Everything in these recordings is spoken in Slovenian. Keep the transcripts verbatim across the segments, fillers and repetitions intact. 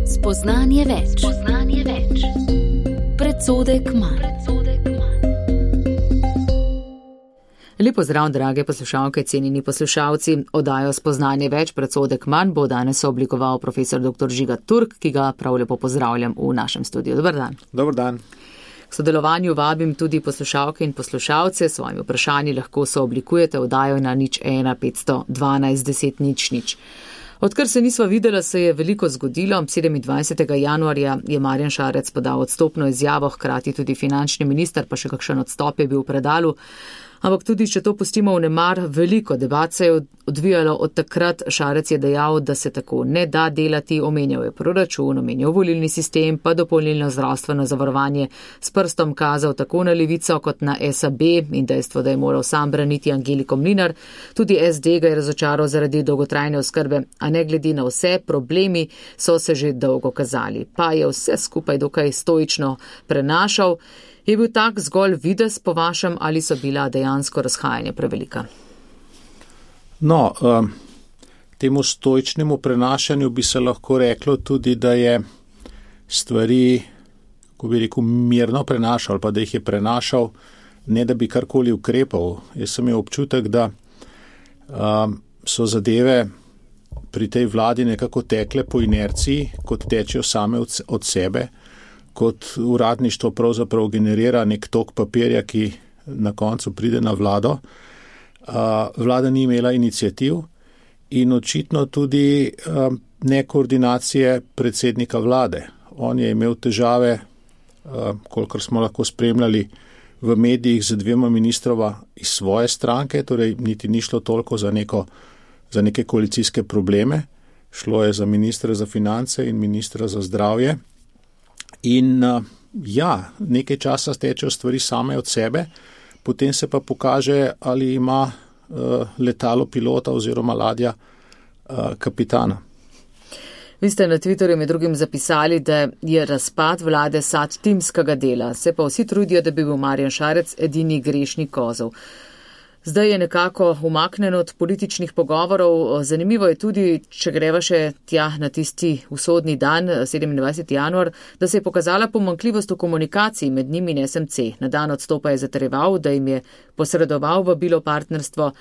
Spoznanje več. Spoznanje več. Predsodek manj. Lepo zdrav, drage poslušalke, cenjeni poslušalci. Oddajo Spoznanje več, predsodek manj bo danes oblikoval profesor doktor Žiga Turk, ki ga prav lepo pozdravljam v našem studiu. Dobar dan. Dobar dan. K sodelovanju vabim tudi poslušalke in poslušalce. S svojimi vprašanji lahko se oblikujete oddajo na nič ena petsto dvanajst deset nič nič. Odkar se nisva videla, se je veliko zgodilo. sedemindvajsetega januarja je Marjan Šarec podal odstopno izjavo, hkrati tudi finančni minister, pa še kakšen odstop je bil v predalu. Ampak tudi, če to pustimo v nemar, veliko debat se je odvijalo od takrat. Šarec je dejal, da se tako ne da delati, omenjal je proračun, omenjal volilni sistem, pa dopolnilno zdravstveno zavarovanje, s prstom kazal tako na Levico kot na S A B in dejstvo, da je moral sam braniti Angeliko Mlinar. Tudi S D ga je razočaral zaradi dolgotrajne oskrbe, a ne glede na vse, problemi so se že dolgo kazali. Pa je vse skupaj dokaj stoično prenašal. Je bil tak zgolj videz po vašem ali so bila dejansko razhajanja prevelika? No, um, temu stoičnemu prenašanju bi se lahko reklo tudi, da je stvari, ko bi rekel, mirno prenašal, pa da jih je prenašal, ne da bi karkoli ukrepal. Jaz sem imel občutek, da um, so zadeve pri tej vladi nekako tekle po inerciji, kot tečejo same od, od sebe, kot uradništvo pravzaprav generira nek tok papirja, ki na koncu pride na vlado. Vlada ni imela iniciativ in očitno tudi ne koordinacije predsednika vlade. On je imel težave, kolikor smo lahko spremljali v medijih, z dvema ministrova iz svoje stranke, torej niti ni šlo toliko za, neko, za neke koalicijske probleme. Šlo je za ministra za finance in ministra za zdravje. In ja, nekaj časa stečejo stvari same od sebe, potem se pa pokaže, ali ima uh, letalo pilota oziroma ladja uh, kapitana. Vi ste na Twitterju med drugim zapisali, da je razpad vlade sad timskega dela, se pa vsi trudijo, da bi bil Marjan Šarec edini grešni kozel. Zdaj je nekako umaknen od političnih pogovorov. Zanimivo je tudi, če greva še tja na tisti usodni dan, sedemindvajseti januar, da se je pokazala pomanjkljivost v komunikaciji med njimi in S M C. Na dan odstopa je zatrjeval, da jim je posredoval vabilo partnerstvo,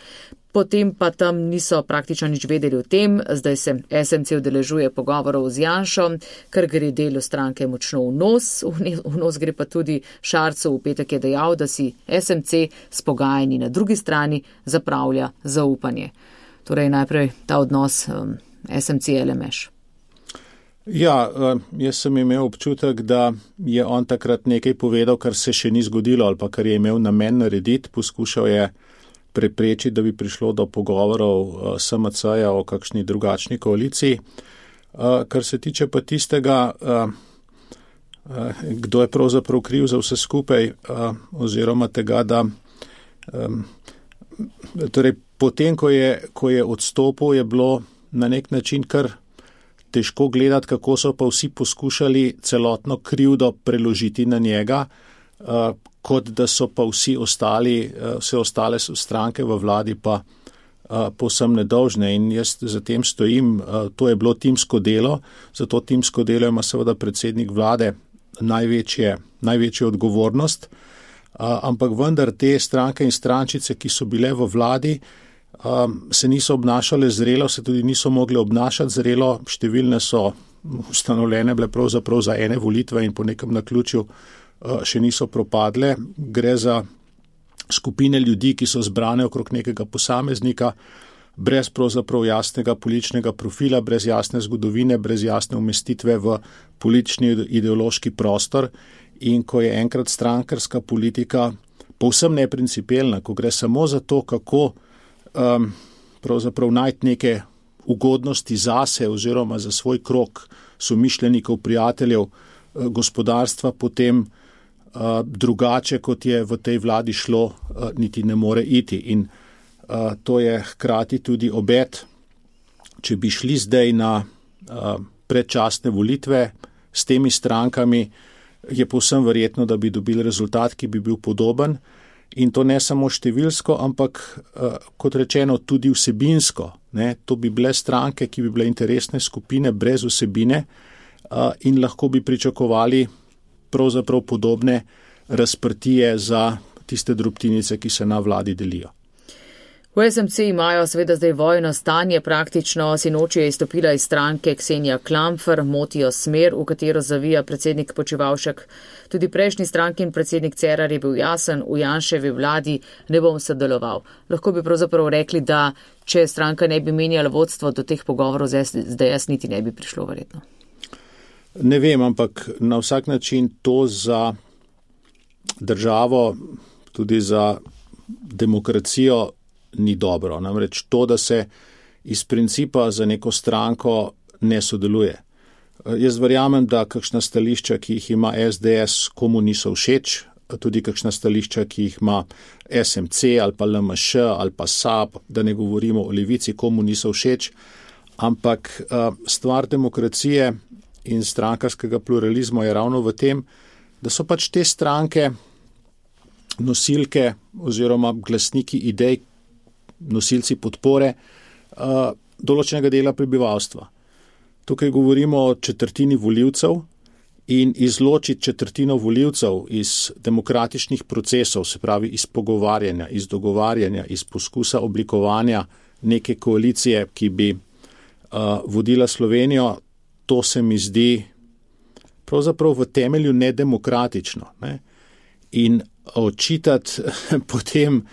potem pa tam niso praktično nič vedeli o tem. Zdaj se S M C udeležuje pogovorov z Janšo, ker gre delu stranke močno v nos. V nos gre pa tudi Šarcu. V petek je dejal, da si S M C s pogajanji na drugi strani zapravlja zaupanje. Torej najprej ta odnos um, S M C L M Š. Ja, jaz sem imel občutek, da je on takrat nekaj povedal, kar se še ni zgodilo ali pa kar je imel namen narediti. Poskušal je preprečiti, da bi prišlo do pogovorov S M C-ja o kakšni drugačni koaliciji. Kar se tiče pa tistega, kdo je pravzaprav kriv za vse skupaj, oziroma tega, da torej potem, ko je, ko je odstopil, je bilo na nek način kar težko gledati, kako so pa vsi poskušali celotno krivdo preložiti na njega, kot da so pa vsi ostali, vse ostale stranke v vladi pa povsem nedolžne. In jaz za tem stojim, to je bilo timsko delo, zato timsko delo ima seveda predsednik vlade največje, največjo odgovornost, ampak vendar te stranke in strančice, ki so bile v vladi, se niso obnašale zrelo, se tudi niso mogli obnašati zrelo, številne so ustanovljene bile pravzaprav za ene volitve in po nekem naključju še niso propadle. Gre za skupine ljudi, ki so zbrane okrog nekega posameznika, brez pravzaprav jasnega političnega profila, brez jasne zgodovine, brez jasne umestitve v politični ideološki prostor. In ko je enkrat strankarska politika povsem neprincipialna, ko gre samo za to, kako um, pravzaprav najti neke ugodnosti zase oziroma za svoj krog somišljenikov, prijateljev, gospodarstva, potem uh, drugače, kot je v tej vladi šlo, uh, niti ne more iti. In uh, to je hkrati tudi obet, če bi šli zdaj na uh, predčasne volitve s temi strankami, je povsem verjetno, da bi dobili rezultat, ki bi bil podoben. In to ne samo številsko, ampak uh, kot rečeno tudi vsebinsko. Ne? To bi bile stranke, ki bi bile interesne skupine brez vsebine in lahko bi pričakovali pravzaprav podobne razprtije za tiste drobtinice, ki se na vladi delijo. V S M C imajo seveda zdaj vojno stanje, praktično sinoči je izstopila iz stranke Ksenija Klampfer, motijo smer, v katero zavija predsednik Počivalšek. Tudi prejšnji strankin predsednik Cerar je bil jasen, v Janševi vladi ne bom sodeloval. Lahko bi pravzaprav rekli, da če stranka ne bi menjala vodstvo, do teh pogovorov zdaj jaz niti ne bi prišlo verjetno. Ne vem, ampak na vsak način to za državo, tudi za demokracijo ni dobro. Namreč to, da se iz principa za neko stranko ne sodeluje. Jaz verjamem, da kakšna stališča, ki jih ima S D S, komu niso všeč, tudi kakšna stališča, ki jih ima S M C ali pa L M Š ali pa S A P, da ne govorimo o Levici, komu niso všeč, ampak stvar demokracije in strankarskega pluralizma je ravno v tem, da so pač te stranke nosilke oziroma glasniki idej, nosilci podpore uh, določenega dela prebivalstva. Tukaj govorimo o četrtini volivcev in izločiti četrtino volivcev iz demokratičnih procesov, se pravi iz pogovarjanja, iz dogovarjanja, iz poskusa oblikovanja neke koalicije, ki bi uh, vodila Slovenijo, to se mi zdi pravzaprav v temelju nedemokratično. Ne? In očitati potem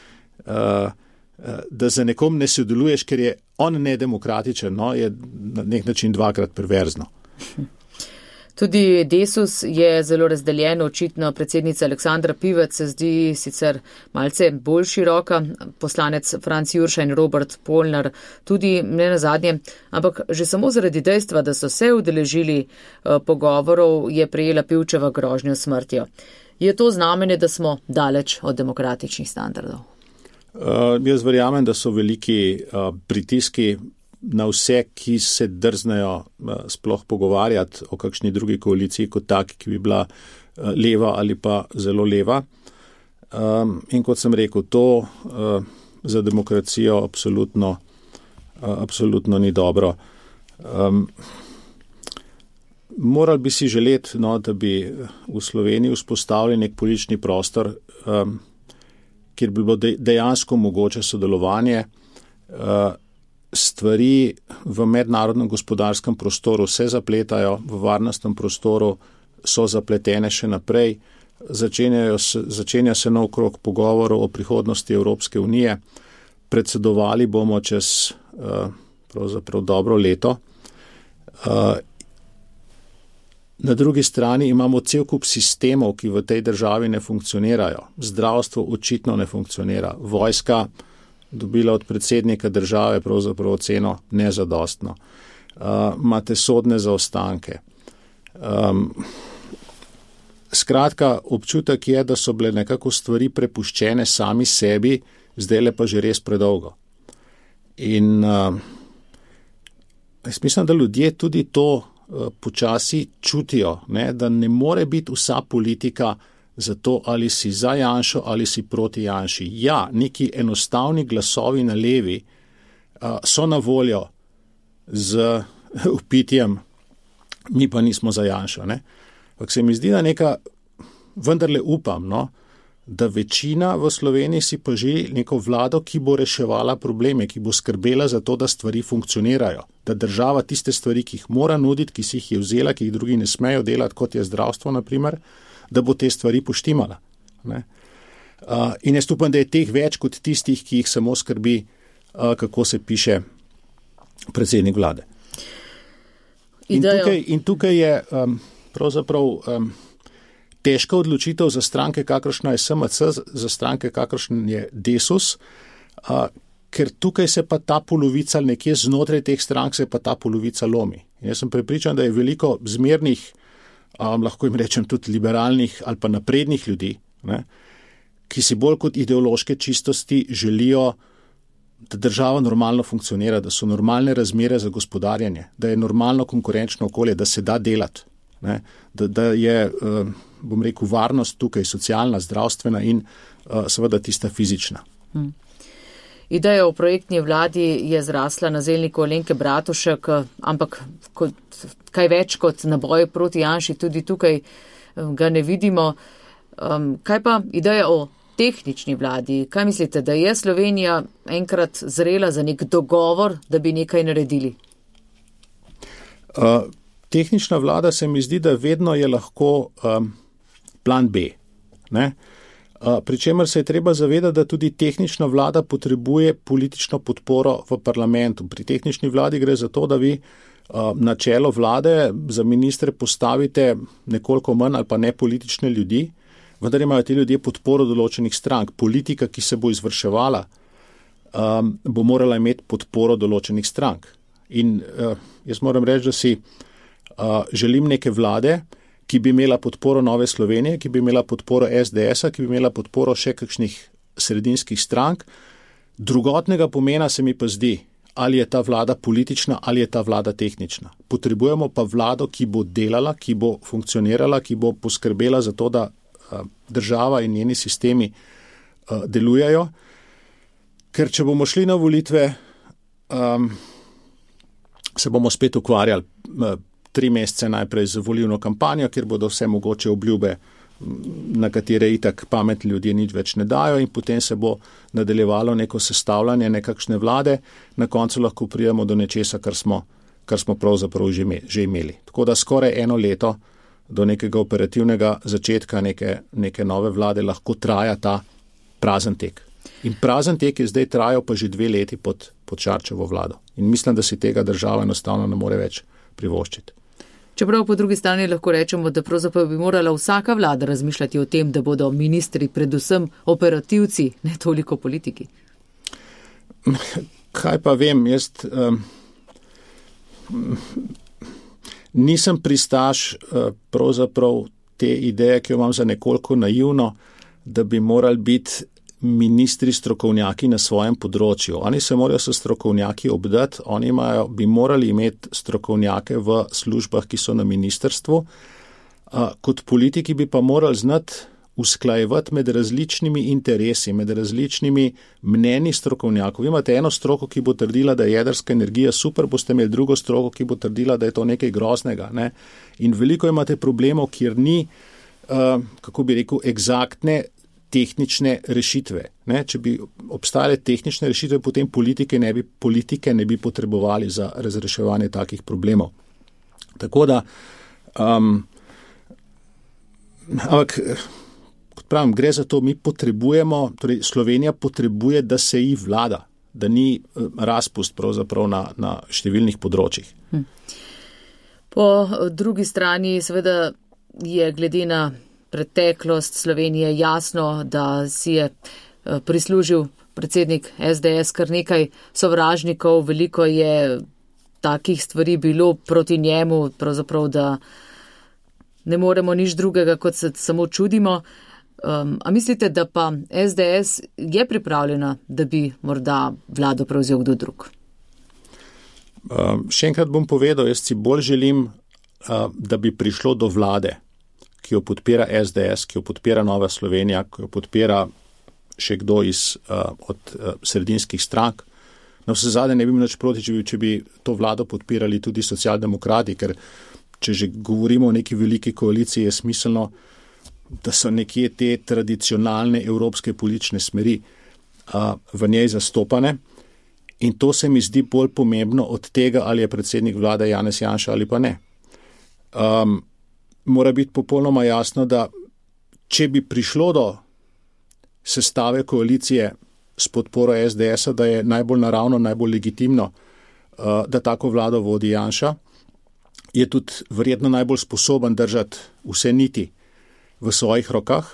uh, da za nekom ne sodeluješ, ker je on nedemokratičen, no, je na nek način dvakrat perverzno. Tudi Desus je zelo razdeljen, očitno predsednica Aleksandra Pivec se zdi sicer malce bolj široka, poslanec Franc Jurša in Robert Polnar tudi ne nazadnje, ampak že samo zaradi dejstva, da so se udeležili uh, pogovorov, je prejela Pivčeva grožnjo smrtjo. Je to znamenje, da smo daleč od demokratičnih standardov? Uh, jaz verjamem, da so veliki uh, pritiski na vse, ki se drznejo uh, sploh pogovarjati o kakšni drugi koaliciji kot taki, ki bi bila uh, leva ali pa zelo leva. Um, in kot sem rekel, to uh, za demokracijo absolutno, uh, absolutno ni dobro. Um, morali bi si želeti, no, da bi v Sloveniji vzpostavili nek politični prostor, um, kjer bi bilo dejansko mogoče sodelovanje. Stvari v mednarodnem gospodarskem prostoru se zapletajo, v varnostnem prostoru so zapletene še naprej, se, začenja se nov krog pogovorov o prihodnosti Evropske unije, predsedovali bomo čez pravzaprav dobro leto. Na drugi strani imamo cel kup sistemov, ki v tej državi ne funkcionirajo. Zdravstvo očitno ne funkcionira. Vojska dobila od predsednika države pravzaprav oceno nezadostno. Uh, imate sodne zaostanke. Um, skratka, občutek je, da so bile nekako stvari prepuščene sami sebi, zdaj pa že res predolgo. In uh, jaz mislim, da ljudje tudi to počasi čutijo, ne, da ne more biti vsa politika za to, ali si za Janšo ali si proti Janši. Ja, neki enostavni glasovi na levi uh, so na voljo z vpitjem, mi pa nismo za Janšo. Ne. Ampak se mi zdi, da neka, vendarle upam, no, da večina v Sloveniji si pa želi neko vlado, ki bo reševala probleme, ki bo skrbela za to, da stvari funkcionirajo, da država tiste stvari, ki jih mora nuditi, ki si jih je vzela, ki jih drugi ne smejo delati, kot je zdravstvo, naprimer, da bo te stvari poštimala. Ne? Uh, in jaz upam, da je teh več kot tistih, ki jih samo skrbi, uh, kako se piše predsednik vlade. In tukaj, in tukaj je um, pravzaprav um, težka odločitev za stranke, kakršna je S M C, za stranke, kakršen je Desus, uh, ker tukaj se pa ta polovica, nekje znotraj teh strank se pa ta polovica lomi. In jaz sem prepričan, da je veliko zmernih, um, lahko jim rečem tudi liberalnih ali pa naprednih ljudi, ne, ki si bolj kot ideološke čistosti želijo, da država normalno funkcionira, da so normalne razmere za gospodarjanje, da je normalno konkurenčno okolje, da se da delati, ne, da, da je, uh, bom rekel, varnost tukaj socialna, zdravstvena in uh, seveda tista fizična. Hmm. Ideja o projektni vladi je zrasla na zelniku Alenke Bratušek, ampak kot, kaj več kot na boj proti Janši tudi tukaj ga ne vidimo. Um, kaj pa ideja o tehnični vladi? Kaj mislite, da je Slovenija enkrat zrela za nek dogovor, da bi nekaj naredili? Uh, tehnična vlada se mi zdi, da vedno je lahko um, plan B. Ne? Uh, Pričemer se je treba zavedati, da tudi tehnična vlada potrebuje politično podporo v parlamentu. Pri tehnični vladi gre za to, da vi uh, na čelo vlade za ministre postavite nekoliko manj ali pa ne politične ljudi, vendar imajo ti ljudje podporo določenih strank. Politika, ki se bo izvrševala, um, bo morala imeti podporo določenih strank. In uh, jaz moram reči, da si uh, želim neke vlade, ki bi imela podporo Nove Slovenije, ki bi imela podporo es de es-a, ki bi imela podporo še kakšnih sredinskih strank. Drugotnega pomena se mi pa zdi, ali je ta vlada politična, ali je ta vlada tehnična. Potrebujemo pa vlado, ki bo delala, ki bo funkcionirala, ki bo poskrbela za to, da uh, država in njeni sistemi uh, delujejo. Ker če bomo šli na volitve, um, se bomo spet ukvarjali uh, tri mesece najprej z volilno kampanjo, kjer bodo vse mogoče obljube, na katere itak pametni ljudje nič več ne dajo, in potem se bo nadaljevalo neko sestavljanje nekakšne vlade, na koncu lahko pridemo do nečesa, kar smo, kar smo pravzaprav že, me, že imeli. Tako da skoraj eno leto do nekega operativnega začetka neke, neke nove vlade lahko traja ta prazen tek. In prazen tek je zdaj trajal pa že dve leti pod, pod Šarčevo vlado. In mislim, da si tega država enostavno ne more več privoščiti. Čeprav po drugi strani lahko rečemo, da pravzaprav bi morala vsaka vlada razmišljati o tem, da bodo ministri predvsem operativci, ne toliko politiki. Kaj pa vem, jaz um, nisem pristaš uh, pravzaprav te ideje, ki jo imam za nekoliko naivno, da bi morali biti ministri strokovnjaki na svojem področju. Oni se morajo s strokovnjaki obdati, oni imajo, bi morali imeti strokovnjake v službah, ki so na ministrstvu. Kot politiki bi pa morali znati usklajevati med različnimi interesi, med različnimi mnenji strokovnjakov. Vi imate eno stroko, ki bo trdila, da je jedrska energija super, boste imeli drugo stroko, ki bo trdila, da je to nekaj groznega. Ne? In veliko imate problemov, kjer ni, uh, kako bi rekel, egzaktne tehnične rešitve. Ne? Če bi obstajale tehnične rešitve, potem politike ne bi, politike ne bi potrebovali za razreševanje takih problemov. Tako da, um, ampak, kot pravim, gre za to, mi potrebujemo, torej Slovenija potrebuje, da se ji vlada, da ni razpust pravzaprav na, na številnih področjih. Hm. Po drugi strani seveda je glede na preteklost Slovenije jasno, da si je prislužil predsednik es de es kar nekaj sovražnikov, veliko je takih stvari bilo proti njemu, pravzaprav, da ne moremo nič drugega, kot se samo čudimo. Um, a mislite, da pa es de es je pripravljena, da bi morda vlado prevzel kdo drug? Um, še enkrat bom povedal, jaz si bolj želim, uh, da bi prišlo do vlade, ki jo podpira es de es, ki jo podpira Nova Slovenija, ki jo podpira še kdo iz, uh, od uh, sredinskih strank. Na vse zadnje ne bi nič proti, če bi, če bi to vlado podpirali tudi socialdemokrati, ker če že govorimo o neki veliki koaliciji, je smiselno, da so nekje te tradicionalne evropske politične smeri uh, v njej zastopane. In to se mi zdi bolj pomembno od tega, ali je predsednik vlade Janez Janša ali pa ne. Um, Mora biti popolnoma jasno, da če bi prišlo do sestave koalicije s podporo es de es-a, da je najbolj naravno, najbolj legitimno, da tako vlado vodi Janša, je tudi verjetno najbolj sposoben držati vse niti v svojih rokah,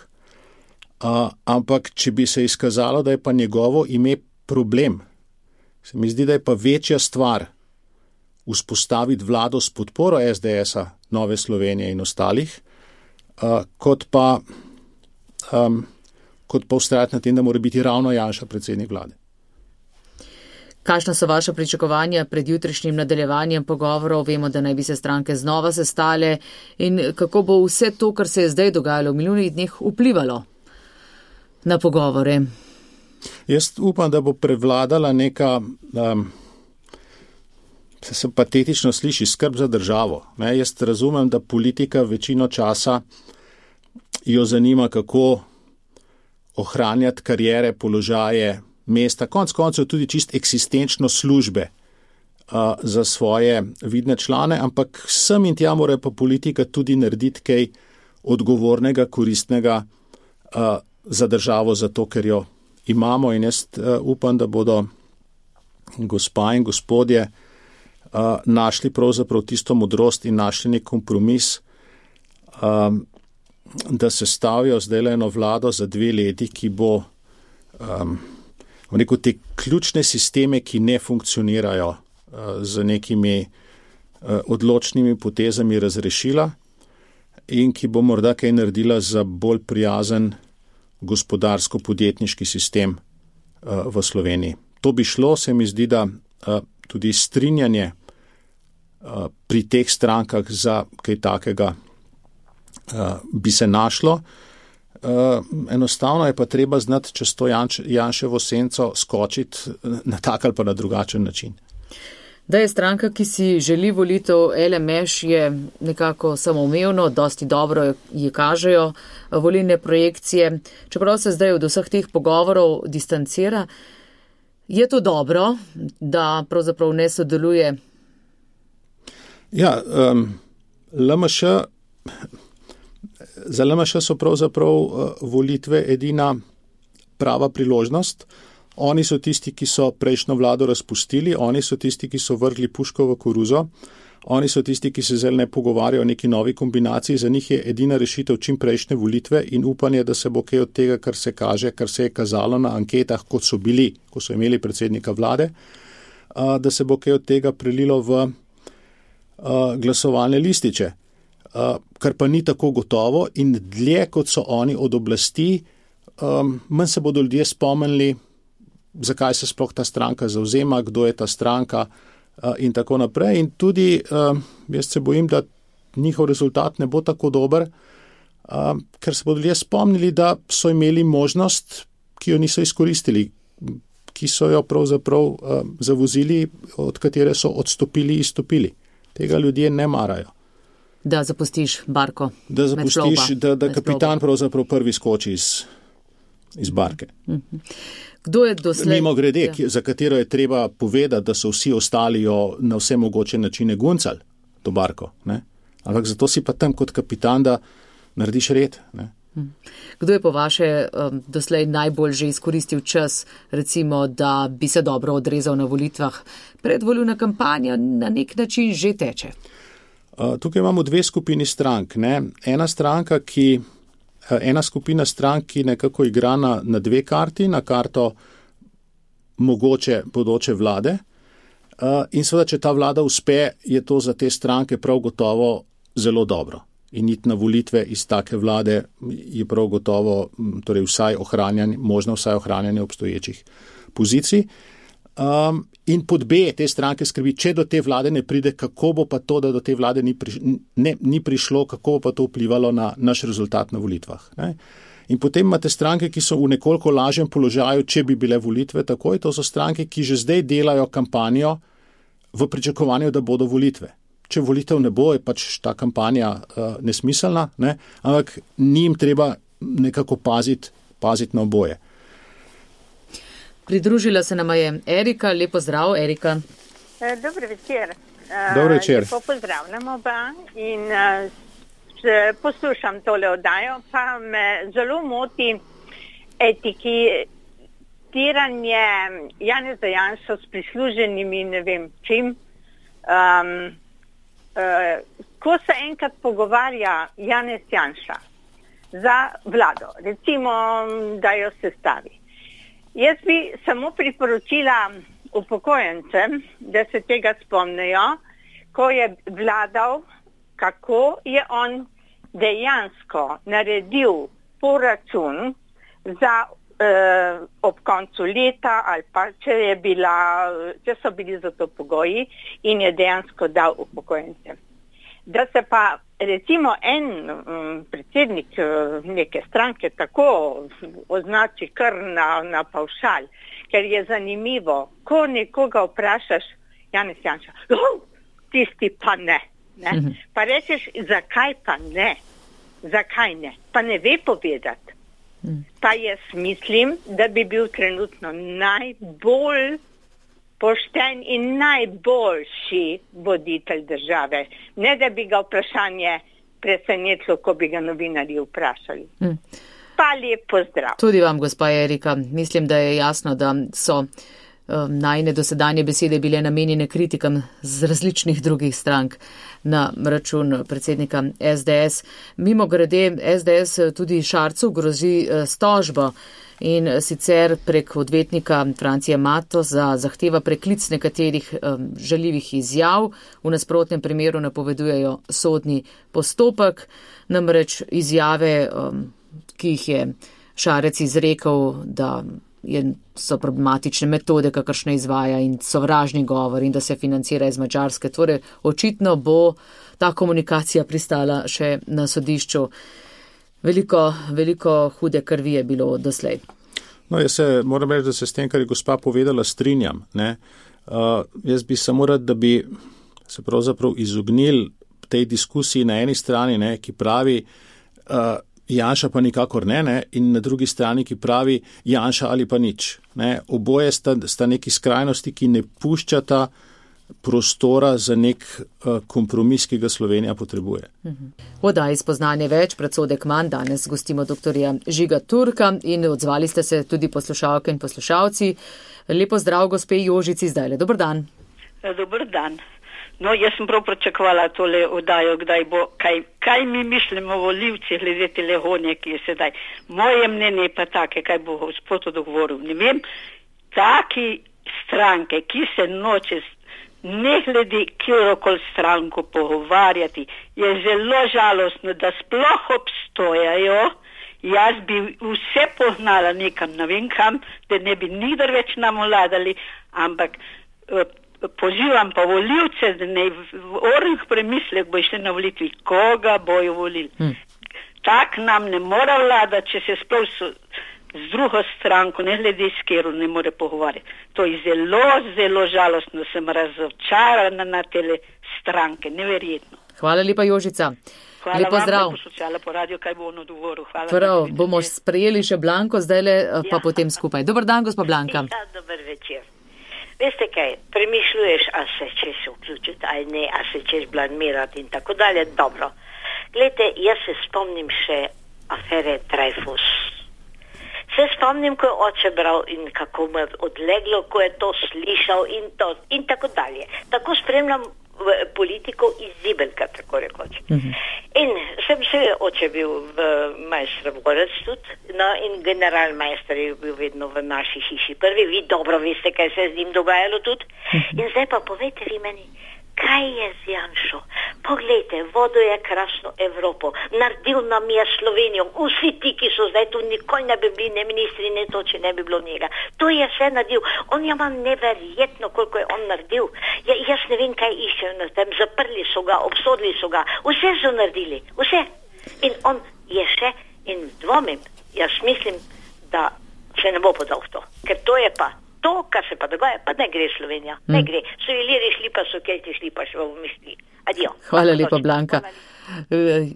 ampak če bi se izkazalo, da je pa njegovo ime problem, se mi zdi, da je pa večja stvar vzpostaviti vlado s podporo es de es-a, Nove Slovenije in ostalih, uh, kot pa, um, kot pa ustrajati na tem, da mora biti ravno Janša predsednik vlade. Kakšna so vaša pričakovanja pred jutrišnjim nadaljevanjem pogovorov? Vemo, da naj bi se stranke znova sestale in kako bo vse to, kar se je zdaj dogajalo v minulih dneh, vplivalo na pogovore? Jaz upam, da bo prevladala neka, um, se patetično sliši, skrb za državo. Ne? Jaz razumem, da politika večino časa jo zanima, kako ohranjati karijere, položaje, mesta, konc koncev tudi čist eksistenčno službe uh, za svoje vidne člane, ampak sem in tja mora pa politika tudi narediti kaj odgovornega, koristnega uh, za državo, zato ker jo imamo, in jaz uh, upam, da bodo gospa in gospodje uh, našli pravzaprav tisto modrost in našli nek kompromis, um, da se stavijo zdaj eno vlado za dve leti, ki bo um, v neko te ključne sisteme, ki ne funkcionirajo, uh, z nekimi uh, odločnimi potezami razrešila in ki bo morda kaj naredila za bolj prijazen gospodarsko-podjetniški sistem uh, v Sloveniji. To bi šlo, se mi zdi, da uh, tudi strinjanje uh, pri teh strankah za kaj takega uh, bi se našlo. Uh, enostavno je pa treba znati čez to Janš, Janševo senco skočiti na tak ali pa na drugačen način. Da je stranka, ki si želi volitev L M Š, je nekako samoumevno, dosti dobro ji kažejo volilne projekcije. Čeprav se zdaj od vseh teh pogovorov distancira, je to dobro, da pravzaprav ne sodeluje? Ja, um, L M Š, za L M Š so pravzaprav uh, volitve edina prava priložnost. Oni so tisti, ki so prejšnjo vlado razpustili, oni so tisti, ki so vrgli puško v koruzo, oni so tisti, ki se zdaj ne pogovarjajo o neki novi kombinaciji, za njih je edina rešitev čim prejšnje volitve in upanje, da se bo kaj od tega, kar se kaže, kar se je kazalo na anketah, kot so bili, ko so imeli predsednika vlade, uh, da se bo kaj od tega prelilo v uh, glasovalne lističe, uh, kar pa ni tako gotovo in dlje, kot so oni od oblasti, um, manj se bodo ljudje spomnili, zakaj se sploh ta stranka zavzema, kdo je ta stranka uh, in tako naprej. In tudi uh, jaz se bojim, da njihov rezultat ne bo tako dober, uh, ker se bodo ljudje spomnili, da so imeli možnost, ki jo niso izkoristili, ki so jo pravzaprav uh, zavozili, od katere so odstopili, izstopili. Tega ljudje ne marajo. Da zapustiš barko. Da zapustiš, da, da kapitan pravzaprav prvi skoči iz, iz barke. Mhm. Kdo je doslej? Mimo grede, ja. Za katero je treba povedati, da so vsi ostali jo na vse mogoče načine guncali to barko. Ne? Ampak zato si pa tam kot kapitan, da narediš red. Ne? Kdo je po vaše um, doslej najbolj že izkoristil čas, recimo, da bi se dobro odrezal na volitvah? Predvolilna kampanja na nek način že teče. Uh, tukaj imamo dve skupini strank. Ne? Ena stranka, ki Ena skupina strank, ki nekako igra na, na dve karti, na karto mogoče bodoče vlade. Uh, in seveda, če ta vlada uspe, je to za te stranke prav gotovo zelo dobro. In iti na volitve iz take vlade je prav gotovo, torej vsaj ohranjanje, možno vsaj ohranjanje obstoječih pozicij. Um, in pod B te stranke skrbi, če do te vlade ne pride, kako bo pa to, da do te vlade ni, priš, ne, ni prišlo, kako bo pa to vplivalo na naš rezultat na volitvah. Ne? In potem imate stranke, ki so v nekoliko lažjem položaju, če bi bile volitve takoj, to so stranke, ki že zdaj delajo kampanjo v pričakovanju, da bodo volitve. Če volitev ne bo, je pač ta kampanja uh, nesmiselna, ne? Ampak njim treba nekako paziti, paziti na oboje. Pridružila se nama je Erika. Lepo zdrav, Erika. Dobro večer. Dobro večer. Lepo pozdravljam oba in poslušam tole oddajo, pa me zelo moti etiketiranje Janeza Janše s prisluženimi ne vem čim. Um, uh, ko se enkrat pogovarja Janez Janša za vlado, recimo, da jo sestavi. Jaz bi samo priporočila upokojencem, da se tega spomnejo, ko je vladal, kako je on dejansko naredil poračun za eh, ob koncu leta ali pa če, je bila, če so bili za to pogoji in je dejansko dal upokojencem. Da se pa recimo en um, predsednik uh, neke stranke tako označi kar na, na pavšal, ker je zanimivo, ko nekoga vprašaš, Janez Janša, oh, tisti pa ne, ne? Mhm. Pa rečeš, zakaj pa ne, zakaj ne, pa ne ve povedati. Mhm. Pa jaz mislim, da bi bil trenutno najbolj pošten in najboljši voditelj države. Ne, da bi ga vprašanje presenetilo, ko bi ga novinarji vprašali. Hmm. Pa lep pozdrav. Tudi vam, gospa Erika. Mislim, da je jasno, da so um, najine dosedanje besede bile namenjene kritikam z različnih drugih strank na račun predsednika S D S. Mimo grede, S D S tudi Šarcu grozi uh, stožbo. In sicer prek odvetnika Francije Mato za zahteva preklic nekaterih um, žaljivih izjav, v nasprotnem primeru napovedujejo sodni postopek, namreč izjave, um, ki jih je Šarec izrekel, da je, so problematične metode, kakršne izvaja in sovražni govor in da se financira iz Madžarske. Torej, očitno bo ta komunikacija pristala še na sodišču. Veliko, veliko hude krvi je bilo doslej. No, jaz se moram reči, da se s tem, kar je gospa povedala, strinjam. Ne? Uh, jaz bi samo rad, da bi se pravzaprav izognili tej diskusiji na eni strani, ne, ki pravi, uh, Janša pa nikakor ne, ne, in na drugi strani, ki pravi, Janša ali pa nič. Ne? Oboje sta, sta neki skrajnosti, ki ne puščata prostora za nek uh, kompromis, ki ga Slovenija potrebuje. V oddaji Spoznanje več, predsodek manj, danes gostimo doktorja Žiga Turka in odzvali ste se tudi poslušalke in poslušalci. Lepo zdrav, gospe Jožici, zdajle. Dobar dan. Dobar dan. No, jaz sem prav pričakovala tole oddajo, kdaj bo, kaj, kaj mi mislimo volivci glede te legonje, ki je sedaj. Moje mnenje je pa take, kaj bo gospod odgovoril. Ne vem, taki stranke, ki se noče ne glede kjerokoli stranko pogovarjati, je zelo žalostno, da sploh obstojajo. Jaz bi vse pognala nekam, ne vem kam, da ne bi nikdar več nam vladali, ampak eh, pozivam pa volivce, da ne v ornih premislek bo išli na volitvi, koga bojo volili. Hmm. Tak nam ne mora vladati, če se sploh so z drugo stranko, ne glede s kjeru, ne more pogovarjati. To je zelo, zelo žalostno, sem razočarana na tele stranke, neverjetno. Hvala lepa, Jožica. Hvala lepo vam, zdrav. da poslušala po radio, kaj bo on odgovoril. Hvala. Prav, bomo sprejeli še Blanko, zdajle pa ja. Potem skupaj. Dobar dan, gospa Blanka. Ja, dober večer. Veste kaj, premišljuješ, a se češ vključiti, a ne, a se češ blamirati in tako dalje. Dobro. Glejte, jaz se spomnim še afere Dreyfus. Se spomnim, ko je oče bral in kako mu je odleglo, ko je to slišal in to in tako dalje. Tako spremljam politiko iz Zibelka, tako rekoč. Uh-huh. In sem se oče bil v majstrovvorec tudi, no in generalmajster je bil vedno v naši hiši prvi. Vi dobro veste, kaj se je z njim dogajalo tudi. Uh-huh. In zdaj pa povejte vi meni, kaj je z Janšo? Poglejte, vodo je krasno Evropo, naredil nam je Slovenijo, vsi ti, ki so zdaj tu, nikoli ne bi bili ne ministri, ne to, če ne bi bilo njega. To je vse naredil. On je vam neverjetno, koliko je on naredil. Ja, jaz ne vem, kaj iščejo na tem, zaprli so ga, obsodili so ga, vse so naredili, vse. In on je še, in dvomim, jaz mislim, da se ne bo podal v to, ker to je pa to, kar se pa dogaja, pa ne gre Slovenija, hmm. ne gre. So Iliri šli, pa so Kelti šli, pa še v misli. Adio. Hvala lepa, Blanka.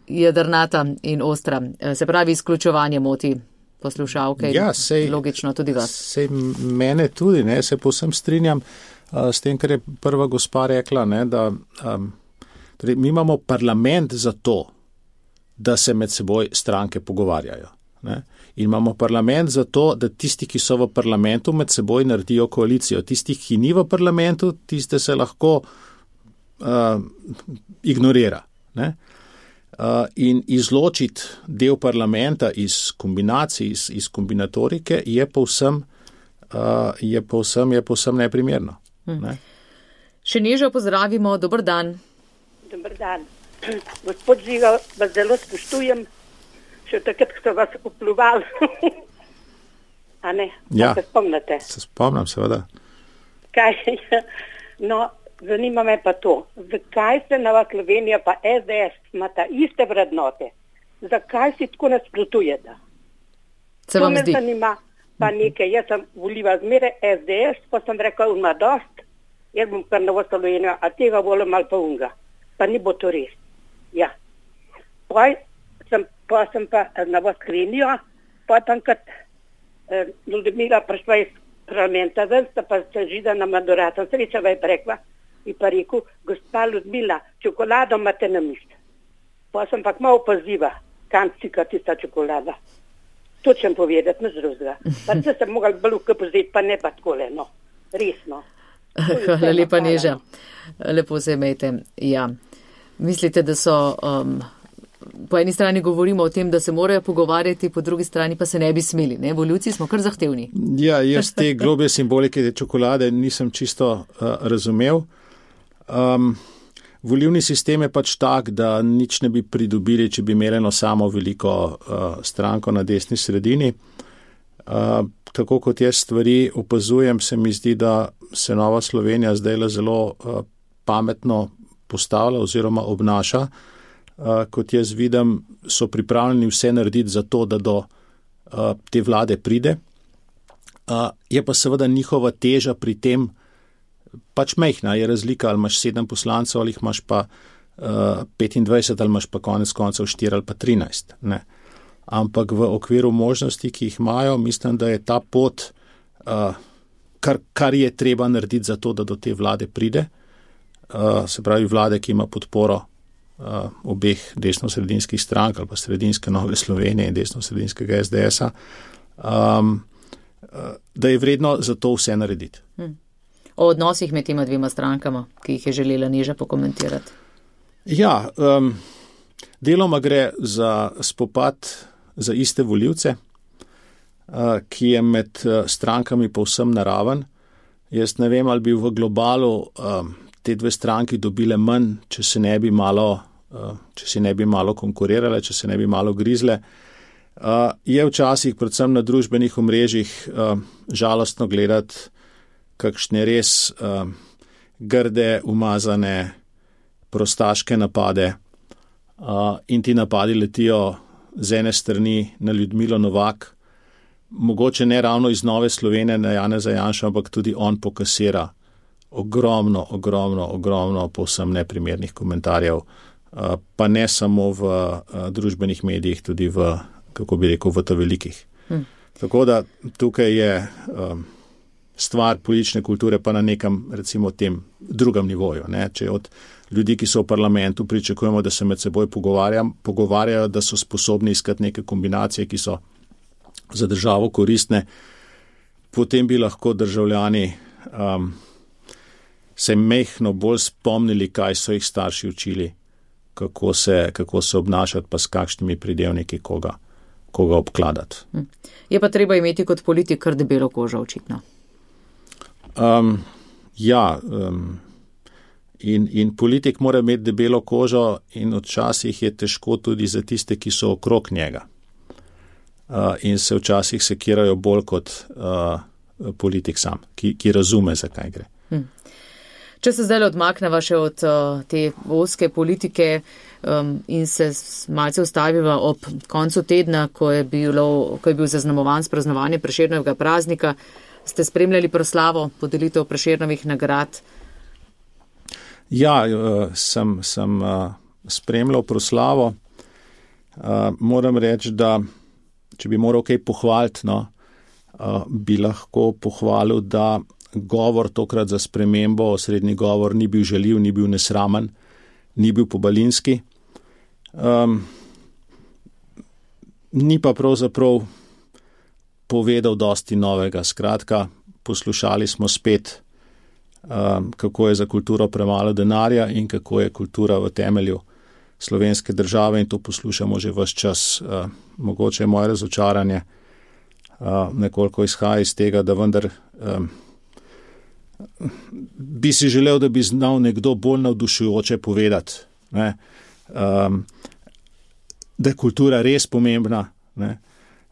Jedrnata in ostra. Se pravi, izključevanje moti poslušalke. Ja, sej, logično tudi vas. Sej mene tudi, ne, se povsem strinjam uh, s tem, kar je prva gospa rekla, ne, da um, torej, mi imamo parlament za to, da se med seboj stranke pogovarjajo. Ne. In imamo parlament za to, da tisti, ki so v parlamentu, med seboj naredijo koalicijo. Tisti, ki ni v parlamentu, tiste se lahko uh, ignorira. Ne? Uh, in izločiti del parlamenta iz kombinacij, iz, iz kombinatorike je povsem, uh, je povsem, je povsem neprimerno. Hmm. Ne? Še nežo pozdravimo, dober dan. Dober dan. Gospod Žiga, vas zelo spoštujem. Še takrat, ko so vas upljuvali. A ne? Ja, se spomnite? Se spomnim, seveda. Kaj? No, zanima me pa to, zakaj se Nova Slovenija pa S D S imata iste vrednote? Zakaj si tako nasprotujete? Se to vam me zdi? zanima, pa nekaj, jaz sem volila zmeraj S D S, pa sem rekel, ima dost, jaz bom kar Novo Slovenijo, a tega volim ali pa unga. Pa ni bo to res. Ja. Pa sem pa, sem pa Novo Slovenijo, pa tam kot eh, Ljudmila prišla iz parlamenta, ven sta pa se žida na Madurata, srečava je prekla in pa rekel, gospa Ljudmila, čokolado imate na misli. Pa sem pa malo poziva, kam cika tista čokolada. To čem povedati, ne zrozga. Pa se sem mogla bolj ukapozeti, pa ne pa takole, no. Resno. Hvala lepa, Neža. Lepo se imejte. Ja. Mislite, da so, um, po eni strani govorimo o tem, da se morajo pogovarjati, po drugi strani pa se ne bi smeli, ne? Volivci smo kar zahtevni. Ja, jaz te globje simbolike te čokolade nisem čisto uh, razumel. Um, volivni sistem je pač tak, da nič ne bi pridobili, če bi imeli eno samo veliko uh, stranko na desni sredini. Uh, tako kot jaz stvari opazujem, se mi zdi, da se Nova Slovenija zdaj zelo uh, pametno postavlja oziroma obnaša. Uh, kot jaz vidim, so pripravljeni vse narediti za to, da do uh, te vlade pride. Uh, je pa seveda njihova teža pri tem pač mejhna, je razlika, ali imaš sedem poslancev, ali jih imaš pa uh, petindvajset, ali imaš pa konec koncev štiri ali pa trinajst. Ne. Ampak v okviru možnosti, ki jih imajo, mislim, da je ta pot, uh, kar, kar je treba narediti za to, da do te vlade pride, uh, se pravi vlade, ki ima podporo uh, obeh desno-sredinskih strank ali pa sredinske Nove Slovenije in desno-sredinskega S D S-a, um, uh, da je vredno za to vse narediti. Hmm. O odnosih med tema dvema strankama, ki jih je želela Neža pokomentirati. Ja, um, deloma gre za spopad za iste volivce, uh, ki je med uh, strankami povsem naraven. Jaz ne vem, ali bi v globalu um, te dve stranki dobile manj, če se ne bi malo, uh, če se ne bi malo konkurirale, če se ne bi malo grizle. Uh, je včasih, predvsem na družbenih omrežjih, uh, žalostno gledati kakšne res uh, grde, umazane, prostaške napade uh, in ti napadi letijo z ene strani na Ljudmilo Novak, mogoče ne ravno iz Nove Slovenije na Janeza Janšo, ampak tudi on pokasira ogromno, ogromno, ogromno povsem neprimernih komentarjev, uh, pa ne samo v uh, družbenih medijih, tudi v, kako bi rekel, v to velikih. Hmm. Tako da tukaj je um, stvar politične kulture pa na nekem, recimo, tem drugem nivoju. Ne? Če od ljudi, ki so v parlamentu, pričakujemo, da se med seboj pogovarjajo, da so sposobni iskati neke kombinacije, ki so za državo koristne, potem bi lahko državljani um, se mehno bolj spomnili, kaj so jih starši učili, kako se, kako se obnašati, pa s kakšnimi pridevniki koga, koga obkladati. Je pa treba imeti kot politik kar debelo kožo, očitno. Um, ja, um, in, in politik mora imeti debelo kožo in včasih je težko tudi za tiste, ki so okrog njega. Uh, in se včasih sekirajo bolj kot uh, politik sam, ki, ki razume, zakaj gre. Hm. Če se zdaj odmakneva še od uh, te ozke politike um, in se malce ustaviva ob koncu tedna, ko je, bilo, ko je bil zaznamovan s praznovanjem Prešernovega praznika, ste spremljali proslavo podelitev Prešernovih nagrad? Ja, sem, sem spremljal proslavo. Moram reči, da če bi moral kaj pohvaliti, no, bi lahko pohvalil, da govor tokrat za spremembo, osrednji govor, ni bil žaljiv, ni bil nesramen, ni bil pobalinski. Um, ni pa pravzaprav povedal dosti novega. Skratka, poslušali smo spet, um, kako je za kulturo premalo denarja in kako je kultura v temelju slovenske države, in to poslušamo že ves čas. Uh, mogoče je moje razočaranje uh, nekoliko izhaja iz tega, da vendar um, bi si želel, da bi znal nekdo bolj navdušujoče povedati, ne? Um, da je kultura res pomembna, ne?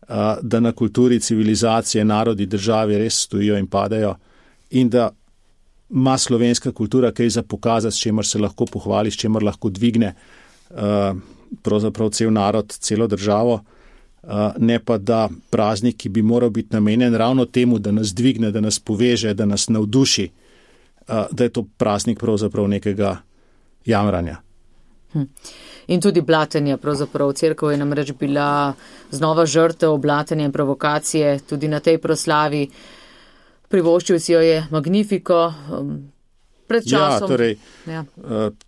Uh, da na kulturi civilizacije, narodi, državi res stojijo in padajo in da ima slovenska kultura kaj za pokazati, s čemer se lahko pohvali, s čemer lahko dvigne uh, pravzaprav cel narod, celo državo, uh, ne pa da praznik, ki bi moral biti namenjen ravno temu, da nas dvigne, da nas poveže, da nas navduši, uh, da je to praznik pravzaprav nekega jamranja. Hm. In tudi blatenja, pravzaprav cerkev je namreč bila znova žrtev blatenja in provokacije tudi na tej proslavi. Privoščil si jo je Magnifico um, pred časom. Ja, torej, ja.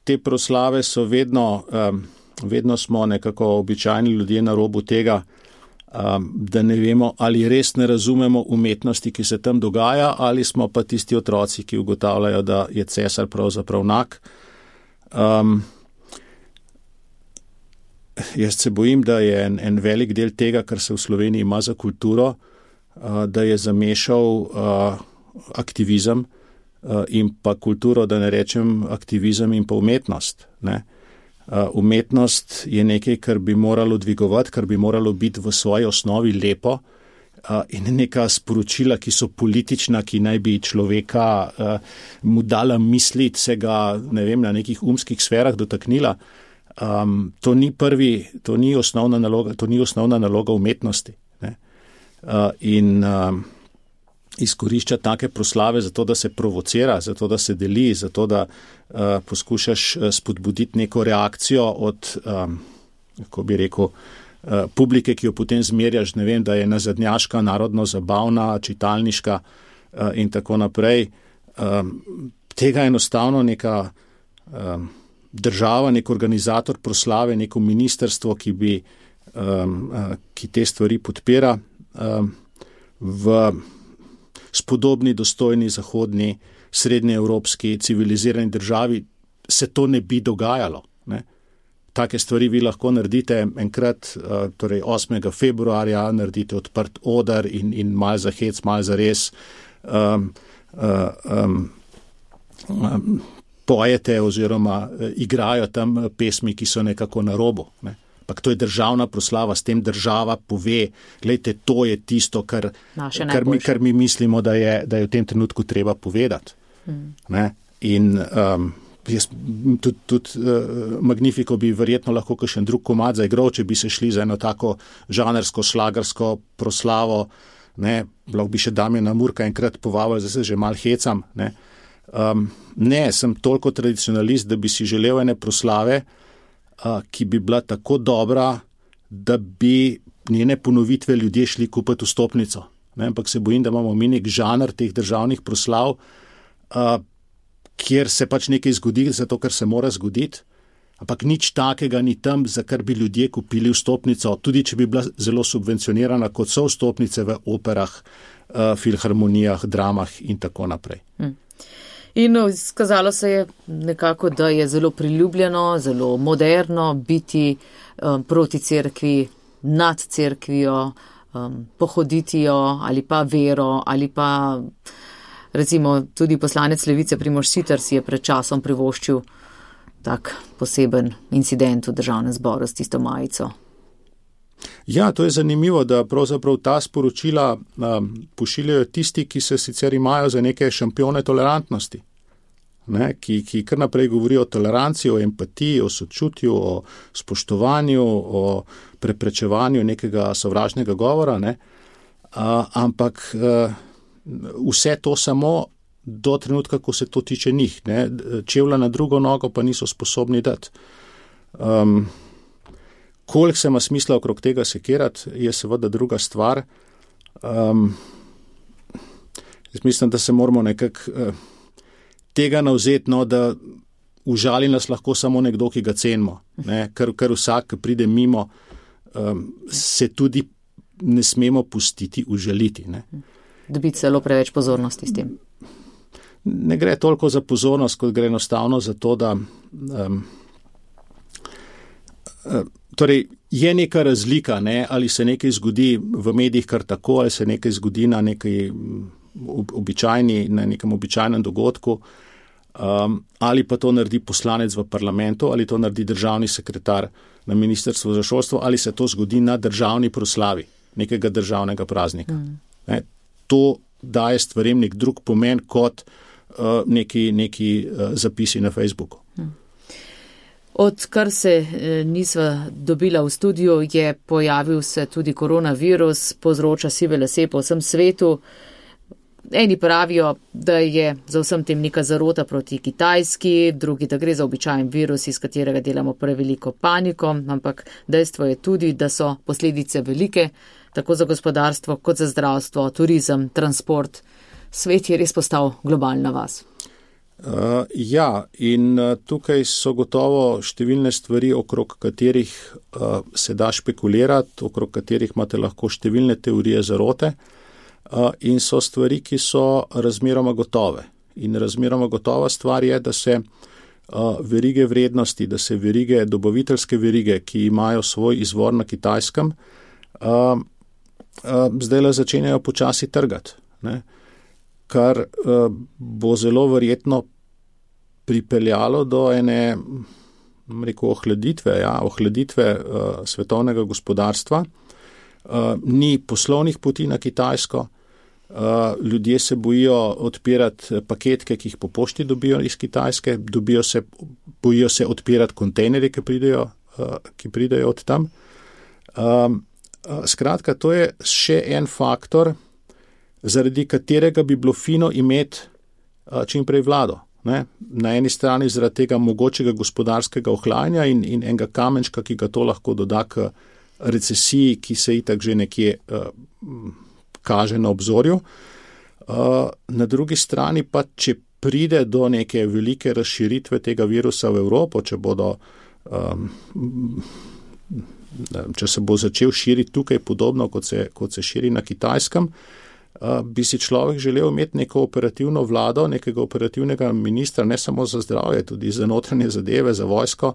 Te proslave so vedno, um, vedno smo nekako običajni ljudje na robu tega, um, da ne vemo, ali res ne razumemo umetnosti, ki se tam dogaja, ali smo pa tisti otroci, ki ugotavljajo, da je cesar pravzaprav nak. Um, jaz se bojim, da je en, en velik del tega, kar se v Sloveniji ima za kulturo, uh, da je zamešal uh, aktivizem uh, in pa kulturo, da ne rečem aktivizem in pa umetnost. Ne? Uh, umetnost je nekaj, kar bi moralo dvigovati, kar bi moralo biti v svoji osnovi lepo uh, in neka sporočila, ki so politična, ki naj bi človeka uh, mu dala misliti, se ga, ne vem, na nekih umskih sferah dotaknila. Um, to ni prvi, to ni osnovna naloga, to ni osnovna naloga umetnosti. Ne? Uh, in um, izkorišča take proslave zato, da se provocira, zato, da se deli, zato, da uh, poskušaš spodbuditi neko reakcijo od, um, kako bi rekel, uh, publike, ki jo potem zmerjaš, ne vem, da je nazadnjaška, narodno zabavna, čitalniška uh, in tako naprej. Um, tega enostavno neka um, država, nek organizator proslave, neko ministerstvo, ki bi, um, uh, ki te stvari podpira, um, v spodobni, dostojni, zahodni, srednjeevropski, civilizirani državi se to ne bi dogajalo. Ne? Take stvari vi lahko naredite enkrat, uh, torej osmega februarja, naredite odprt oder in, in mal za hec, mal za res, um, uh, um, um, pojete oziroma uh, igrajo tam pesmi, ki so nekako na robu. Ne? Pak to je državna proslava, s tem država pove, glejte, to je tisto, kar, kar, mi, kar mi mislimo, da je, da je v tem trenutku treba povedati. Hmm. Ne? In um, jaz, tudi, tudi uh, Magnifico bi verjetno lahko kakšen drug komad zaigral, če bi se šli za eno tako žanrsko, šlagersko proslavo, ne, lahko bi še Damjana Murka enkrat povabil, zdaj se že mal hecam, ne. Um, ne, sem toliko tradicionalist, da bi si želel ene proslave, uh, ki bi bila tako dobra, da bi njene ponovitve ljudje šli kupiti vstopnico. Ne, ampak se bojim, da imamo mi nek žanr teh državnih proslav, uh, kjer se pač nekaj zgodi, zato ker se mora zgoditi, ampak nič takega ni tam, za kar bi ljudje kupili vstopnico, tudi če bi bila zelo subvencionirana, kot so vstopnice v operah, uh, filharmonijah, dramah in tako naprej. Hmm. In skazalo se je nekako, da je zelo priljubljeno, zelo moderno biti um, proti cerkvi, nad cerkvijo, um, pohoditi jo ali pa vero ali pa recimo tudi poslanec Levice Primož Siter si je pred časom privoščil tak poseben incident v Državnem zboru s tisto majico. Ja, to je zanimivo, da pravzaprav ta sporočila um, pošiljajo tisti, ki se sicer imajo za neke šampione tolerantnosti, ne, ki, ki kar naprej govorijo o toleranci, o empatiji, o sočutju, o spoštovanju, o preprečevanju nekega sovražnega govora, ne, uh, ampak uh, vse to samo do trenutka, ko se to tiče njih, ne, čevlja na drugo nogo pa niso sposobni dati. Um, Koliko se ima smisla okrog tega sekirati, je seveda druga stvar. Um, jaz mislim, da se moramo nekako uh, tega navzeti, no, da užali nas lahko samo nekdo, ki ga cenimo. Ne? Ker, ker vsak, ki pride mimo, um, se tudi ne smemo pustiti užaliti. Ne? Dobiti celo preveč pozornosti s tem. Ne gre toliko za pozornost, kot gre enostavno za to, da um, uh, torej, je neka razlika, ne, ali se nekaj zgodi v medijih kar tako, ali se nekaj zgodi na, nekaj običajni, na nekem običajnem dogodku, um, ali pa to naredi poslanec v parlamentu, ali to naredi državni sekretar na Ministrstvu za šolstvo, ali se to zgodi na državni proslavi nekega državnega praznika. Mm. Ne, to daje stvarem nek drug pomen kot neki, neki zapisi na Facebooku. Odkar se nisva dobila v studiu, je pojavil se tudi koronavirus, povzroča sive lase po vsem svetu. Eni pravijo, da je za vsem tem neka zarota proti Kitajski, drugi, da gre za običajen virus, iz katerega delamo preveliko paniko, ampak dejstvo je tudi, da so posledice velike, tako za gospodarstvo, kot za zdravstvo, turizem, transport. Svet je res postal globalna vas. Uh, ja, in uh, tukaj so gotovo številne stvari, okrog katerih uh, se da špekulirati, okrog katerih imate lahko številne teorije zarote uh, in so stvari, ki so razmeroma gotove. In razmeroma gotova stvar je, da se uh, verige vrednosti, da se verige, dobaviteljske verige, ki imajo svoj izvor na Kitajskem, uh, uh, zdaj le začenjajo počasi trgati, ne? Kar uh, bo zelo verjetno pripeljalo do ene, rekel, ohladitve, ja, ohladitve uh, svetovnega gospodarstva. Uh, ni poslovnih poti na Kitajsko, uh, ljudje se bojijo odpirati paketke, ki jih po pošti dobijo iz Kitajske, dobijo se, bojijo se odpirati kontejnerje, ki pridejo, uh, ki pridejo od tam. Um, uh, skratka, to je še en faktor, zaradi katerega bi bilo fino imeti čim prej vlado. Ne? Na eni strani zaradi tega mogočega gospodarskega ohlajanja in, in enega kamenčka, ki ga to lahko doda k recesiji, ki se itak že nekje uh, kaže na obzorju. Uh, na drugi strani pa, če pride do neke velike razširitve tega virusa v Evropo, če bodo, um, če se bo začel širiti tukaj podobno, kot se, kot se širi na Kitajskem, Uh, bi si človek želel imeti neko operativno vlado, nekega operativnega ministra, ne samo za zdravje, tudi za notranje zadeve, za vojsko,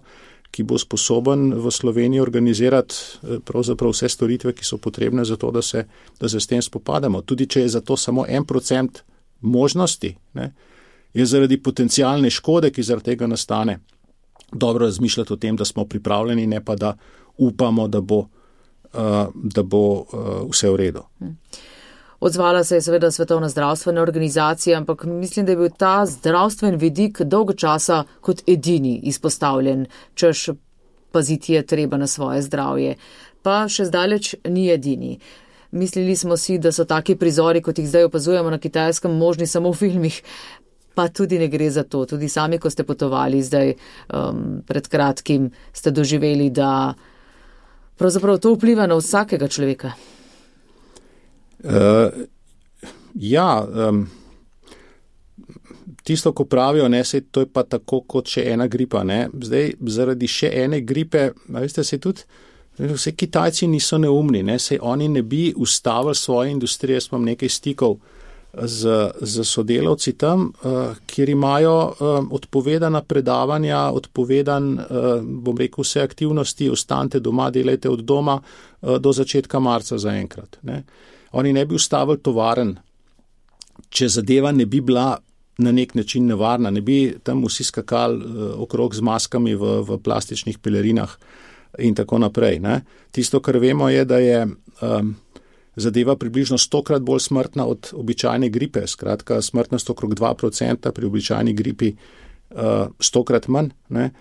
ki bo sposoben v Sloveniji organizirati pravzaprav vse storitve, ki so potrebne za to, da se, da se s tem spopademo. Tudi če je za to samo en procent možnosti, ne, je zaradi potencialne škode, ki zaradi tega nastane, dobro razmišljati o tem, da smo pripravljeni, ne pa da upamo, da bo, uh, da bo uh, vse v redu. Hmm. Odzvala se je seveda Svetovna zdravstvena organizacija, ampak mislim, da je bil ta zdravstven vidik dolgo časa kot edini izpostavljen, češ paziti je treba na svoje zdravje. Pa še zdaleč ni edini. Mislili smo si, da so taki prizori, kot jih zdaj opazujemo na Kitajskem, možni samo v filmih, pa tudi ne gre za to. Tudi sami, ko ste potovali zdaj um, pred kratkim, ste doživeli, da pravzaprav to vpliva na vsakega človeka. Uh, ja, um, tisto, ko pravijo, ne, sej to je pa tako kot še ena gripa, ne, zdaj zaradi še ene gripe, veste, sej tudi, vse Kitajci niso neumni, ne, sej oni ne bi ustavili svoje industrije, jaz imam nekaj stikov z, z sodelavci tam, uh, kjer imajo uh, odpovedana predavanja, odpovedan, uh, bom rekel, vse aktivnosti, ostanite doma, delajte od doma uh, do začetka marca zaenkrat, ne. Oni ne bi ustavili tovaren, če zadeva ne bi bila na nek način nevarna, ne bi tam vsi skakali uh, okrog z maskami v, v plastičnih pelerinah in tako naprej. Ne. Tisto, kar vemo, je, da je um, zadeva približno stokrat bolj smrtna od običajne gripe, skratka smrtnost okrog dva procenta, pri običajni gripi uh, stokrat manj, ne.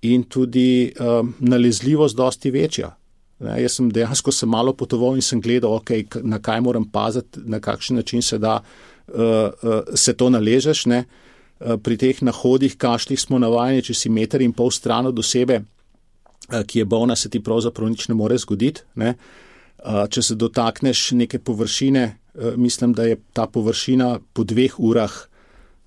In tudi um, nalezljivost dosti večja. Ne, jaz sem dejansko sem malo potoval in sem gledal, okay, na kaj moram paziti, na kakšen način se da uh, uh, se to naležeš. Ne. Uh, pri teh nahodih, kašljih smo navajeni, če si meter in pol stran od osebe, uh, ki je bolna, se ti pravzaprav nič ne more zgoditi. Ne. Uh, če se dotakneš neke površine, uh, mislim, da je ta površina po dveh urah,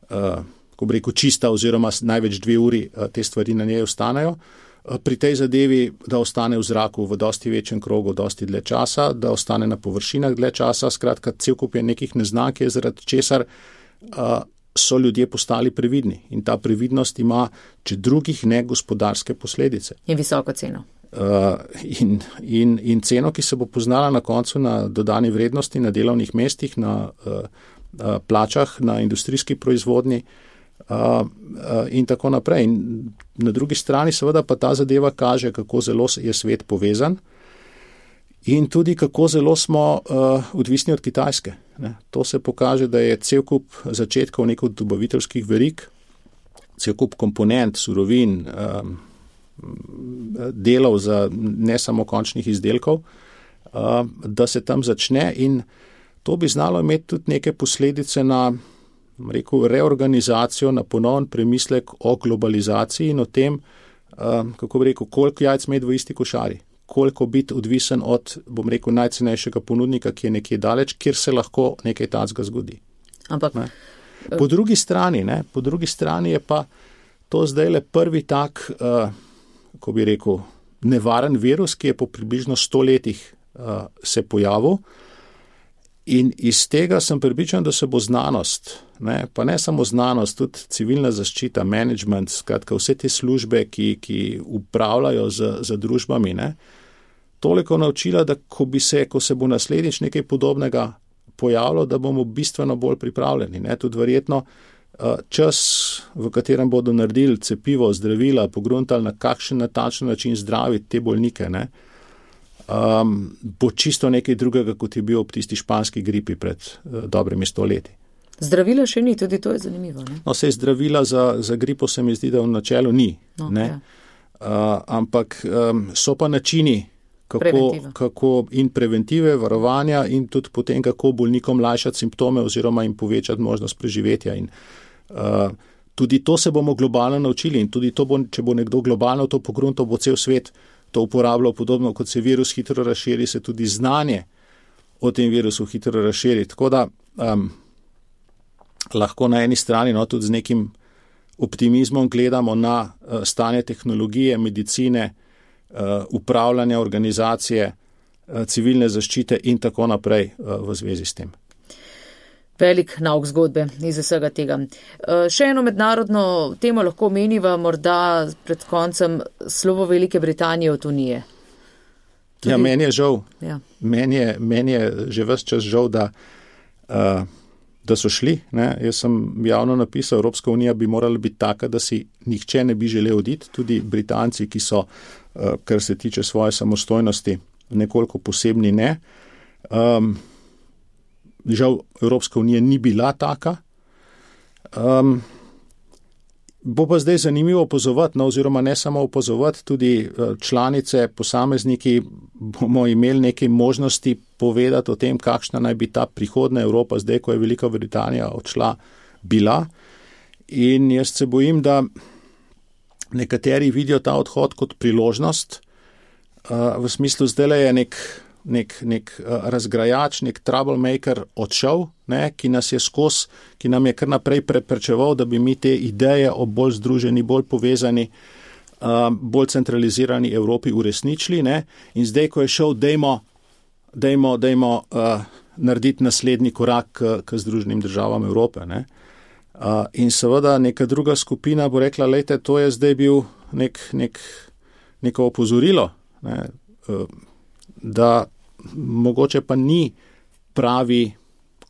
uh, ko bi rekel, čista oziroma največ dve uri uh, te stvari na njej ostanejo. Pri tej zadevi, da ostane v zraku v dosti večjem krogu, dosti dlje časa, da ostane na površinah dlje časa, skratka, cel kup je nekih neznank, zaradi česar uh, so ljudje postali previdni. In ta previdnost ima, če drugih ne, gospodarske posledice. In visoko ceno. Uh, in, in, in ceno, ki se bo poznala na koncu na dodani vrednosti, na delovnih mestih, na uh, uh, plačah, na industrijski proizvodnji, Uh, uh, in tako naprej. In na drugi strani seveda pa ta zadeva kaže, kako zelo je svet povezan in tudi kako zelo smo uh, odvisni od Kitajske. Ne. To se pokaže, da je cel kup začetkov nekih dobaviteljskih verig, cel kup komponent, surovin, um, delov za ne samo končnih izdelkov, uh, da se tam začne in to bi znalo imeti tudi neke posledice na rekel, reorganizacijo, na ponoven premislek o globalizaciji in o tem, uh, kako bi rekel, koliko jajc imeti v isti košari, koliko biti odvisen od, bom rekel, najcenejšega ponudnika, ki je nekje daleč, kjer se lahko nekaj takega zgodi. Ampak ne. Po drugi strani, ne, po drugi strani je pa to zdaj le prvi tak, uh, ko bi rekel, nevaren virus, ki je po približno sto letih uh, se pojavil. In iz tega sem prepričan, da se bo znanost, ne, pa ne samo znanost, tudi civilna zaščita, management, skratka vse te službe, ki, ki upravljajo z, z družbami, ne, toliko naučila, da ko, bi se, ko se bo naslednjič nekaj podobnega pojavilo, da bomo bistveno bolj pripravljeni. Ne, tudi verjetno čas, v katerem bodo naredili cepivo, zdravila, pogruntali na kakšen natančen način zdraviti te bolnike, ne, Um, bo čisto nekaj drugega, kot je bil ob tisti španski gripi pred uh, dobrimi sto leti. Zdravila še ni, tudi to je zanimivo. Ne? No, sej zdravila za, za gripo se mi zdi, da v načelu ni. No, ne? Ja. Uh, ampak um, so pa načini, kako, kako in preventive, varovanja in tudi potem, kako bolnikom lajšati simptome oziroma jim povečati možnost preživetja. In, uh, tudi to se bomo globalno naučili in tudi to bo, če bo nekdo globalno to pogruntal, bo cel svet to uporabljal podobno, kot se virus hitro razširi, se tudi znanje o tem virusu hitro razširi. Tako da um, lahko na eni strani no, tudi z nekim optimizmom gledamo na uh, stanje tehnologije, medicine, uh, upravljanja organizacije, uh, civilne zaščite in tako naprej uh, v zvezi s tem. Velik nauk zgodbe iz vsega tega. Še eno mednarodno temo lahko meniva morda pred koncem slovo Velike Britanije od Unije. Tudi... Ja, meni je žal. Ja. Meni je, meni je že ves čas žal, da, uh, da so šli. Ne? Jaz sem javno napisal, Evropska unija bi morala biti taka, da si nihče ne bi želel oditi, tudi Britanci, ki so, uh, kar se tiče svoje samostojnosti, nekoliko posebni ne. Um, Žal, Evropska unija ni bila taka. Um, bo pa zdaj zanimivo opazovati, no, oziroma ne samo opazovati, tudi članice, posamezniki bomo imeli neke možnosti povedati o tem, kakšna naj bi ta prihodna Evropa, zdaj, ko je Velika Britanija odšla, bila. In jaz se bojim, da nekateri vidijo ta odhod kot priložnost, uh, v smislu zdaj je nek nek, nek uh, razgrajač, nek troublemaker odšel, ne, ki nas je skos, ki nam je kar naprej preprečeval, da bi mi te ideje o bolj združeni, bolj povezani, uh, bolj centralizirani Evropi uresničili, ne, in zdaj, ko je šel, dejmo, dejmo, dejmo uh, narediti naslednji korak k, k Združenim državam Evrope, ne. Uh, in seveda neka druga skupina bo rekla, lejte, to je zdaj bil nek, nek, neko opozorilo, ne, uh, da mogoče pa ni pravi